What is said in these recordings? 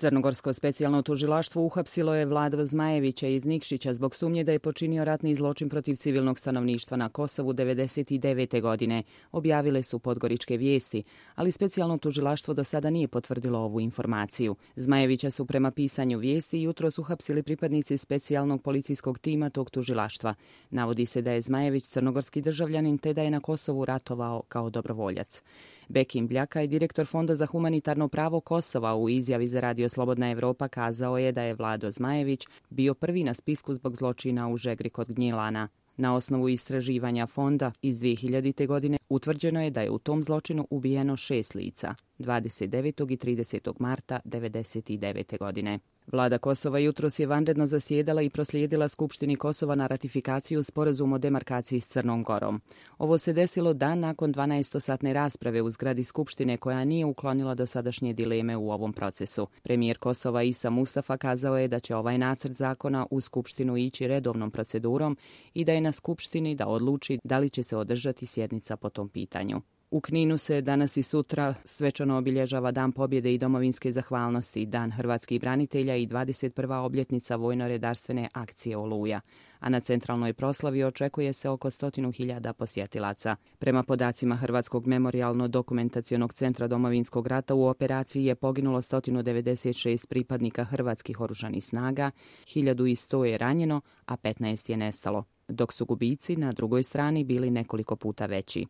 Crnogorsko specijalno tužilaštvo uhapsilo je Vladu Zmajevića iz Nikšića zbog sumnje da je počinio ratni zločin protiv civilnog stanovništva na Kosovu 1999. godine, objavile su Podgoričke vijesti, ali specijalno tužilaštvo do sada nije potvrdilo ovu informaciju. Zmajevića su prema pisanju vijesti jutros uhapsili pripadnici specijalnog policijskog tima tog tužilaštva. Navodi se da je Zmajević crnogorski državljanin te da je na Kosovu ratovao kao dobrovoljac. Bekim Bljaka, direktor Fonda za humanitarno pravo Kosova, u izjavi za Radio Slobodna Evropa kazao je da je Vlado Zmajević bio prvi na spisku zbog zločina u Žegri kod Gnjilana. Na osnovu istraživanja fonda iz 2000. godine utvrđeno je da je u tom zločinu ubijeno 6 lica, 29. i 30. marta 1999. godine. Vlada Kosova jutros je vanredno zasjedala i proslijedila Skupštini Kosova na ratifikaciju sporazuma o demarkaciji s Crnom Gorom. Ovo se desilo dan nakon 12-satne rasprave u zgradi Skupštine koja nije uklonila dosadašnje dileme u ovom procesu. Premijer Kosova Isa Mustafa kazao je da će ovaj nacrt zakona u Skupštinu ići redovnom procedurom i da je na Skupštini da odluči da li će se održati sjednica po tom pitanju. U Kninu se danas i sutra svečano obilježava Dan pobjede i domovinske zahvalnosti, Dan hrvatskih branitelja i 21. obljetnica vojno-redarstvene akcije Oluja, a na centralnoj proslavi očekuje se oko 100.000 posjetilaca. Prema podacima Hrvatskog memorijalno-dokumentacionog centra Domovinskog rata u operaciji je poginulo 196 pripadnika hrvatskih oružanih snaga, 1100 je ranjeno, a 15 je nestalo, dok su gubici na drugoj strani bili nekoliko puta veći.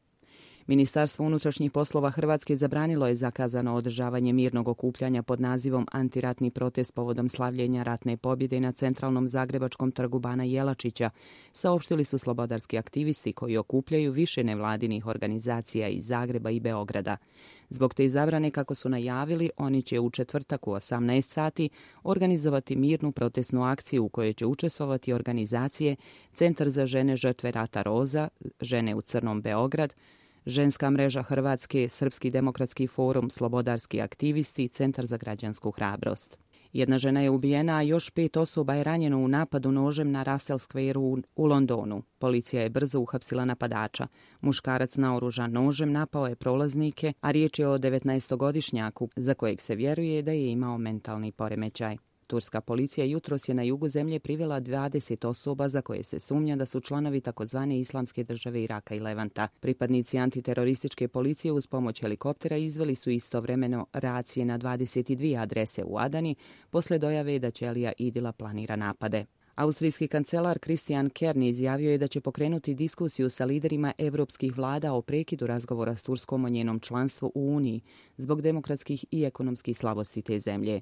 Ministarstvo unutrašnjih poslova Hrvatske zabranilo je zakazano održavanje mirnog okupljanja pod nazivom Antiratni protest povodom slavljenja ratne pobjede na centralnom zagrebačkom trgu Bana Jelačića, saopštili su slobodarski aktivisti koji okupljaju više nevladinih organizacija iz Zagreba i Beograda. Zbog te zabrane, kako su najavili, oni će u četvrtak u 18 sati organizovati mirnu protestnu akciju u kojoj će učestvovati organizacije Centar za žene žrtve rata Roza, Žene u crnom Beograd, Ženska mreža Hrvatske, Srpski demokratski forum, slobodarski aktivisti i Centar za građansku hrabrost. Jedna žena je ubijena, a još 5 osoba je ranjeno u napadu nožem na Russell Square u Londonu. Policija je brzo uhapsila napadača. Muškarac naoružan nožem napao je prolaznike, a riječ je o 19-godišnjaku za kojeg se vjeruje da je imao mentalni poremećaj. Turska policija jutros je na jugu zemlje privela 20 osoba za koje se sumnja da su članovi takozvane Islamske države Iraka i Levanta. Pripadnici antiterorističke policije uz pomoć helikoptera izveli su istovremeno racije na 22 adrese u Adani posle dojave da Ćelija Idila planira napade. Austrijski kancelar Christian Kern izjavio je da će pokrenuti diskusiju sa liderima evropskih vlada o prekidu razgovora s Turskom o njenom članstvu u Uniji zbog demokratskih i ekonomskih slabosti te zemlje.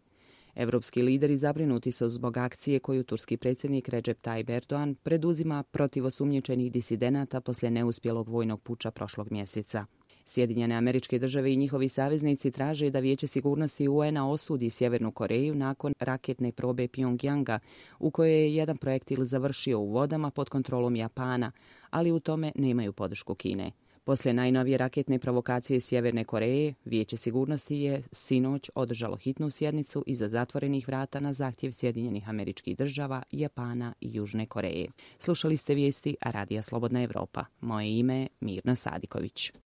Evropski lideri zabrinuti su zbog akcije koju turski predsjednik Recep Tayyip Erdogan preduzima protiv osumnjičenih disidenata poslije neuspjelog vojnog puča prošlog mjeseca. Sjedinjene Američke Države i njihovi saveznici traže da Vijeće sigurnosti UN-a osudi Sjevernu Koreju nakon raketne probe Pjongjanga, u kojoj je jedan projektil završio u vodama pod kontrolom Japana, ali u tome nemaju podršku Kine. Poslije najnovije raketne provokacije Sjeverne Koreje, Vijeće sigurnosti je sinoć održalo hitnu sjednicu iza zatvorenih vrata na zahtjev Sjedinjenih Američkih Država, Japana i Južne Koreje. Slušali ste vijesti Radija Slobodna Evropa. Moje ime je Mirna Sadiković.